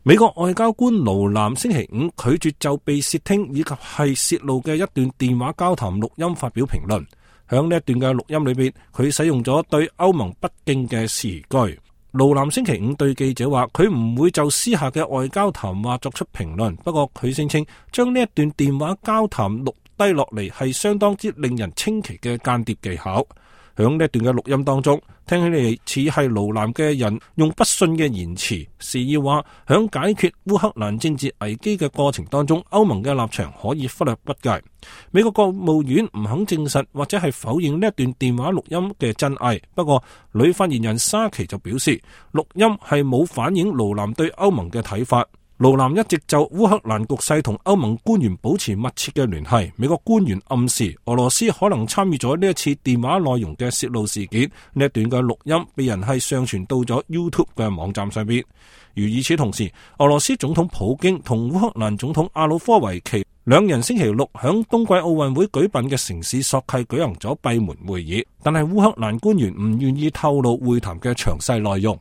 美國外交官盧南星期五拒絕就被竊聽以及係洩露嘅一段電話交談錄音發表評論。響呢一段嘅錄音裏邊，佢使用咗對歐盟不敬嘅詞句。盧南星期五對記者話，佢唔會就私下嘅外交談話作出評論，不過佢聲稱將呢一段電話交談錄低落嚟係相當之令人稱奇嘅間諜技巧。響呢一段嘅錄音當中，聽起嚟似係盧南嘅人用不遜嘅言辭，示意話響解決烏克蘭政治危機嘅過程當中，歐盟嘅立場可以忽略不計。美國國務院唔肯證實或者係否認呢一段電話錄音嘅真偽，不過女發言人沙奇就表示，錄音係冇反映盧南對歐盟嘅睇法。盧南一直就烏克蘭局勢同歐盟官員保持密切嘅聯繫。美國官員暗示俄羅斯可能參與咗呢一次電話內容嘅洩露事件。呢一段嘅錄音被人係上傳到咗 YouTube 嘅網站上邊。而與此同時，俄羅斯總統普京同烏克蘭總統亞努科維奇兩人星期六響冬季奧運會舉辦嘅城市索契舉行咗閉門會議，但係烏克蘭官員唔願意透露會談嘅詳細內容。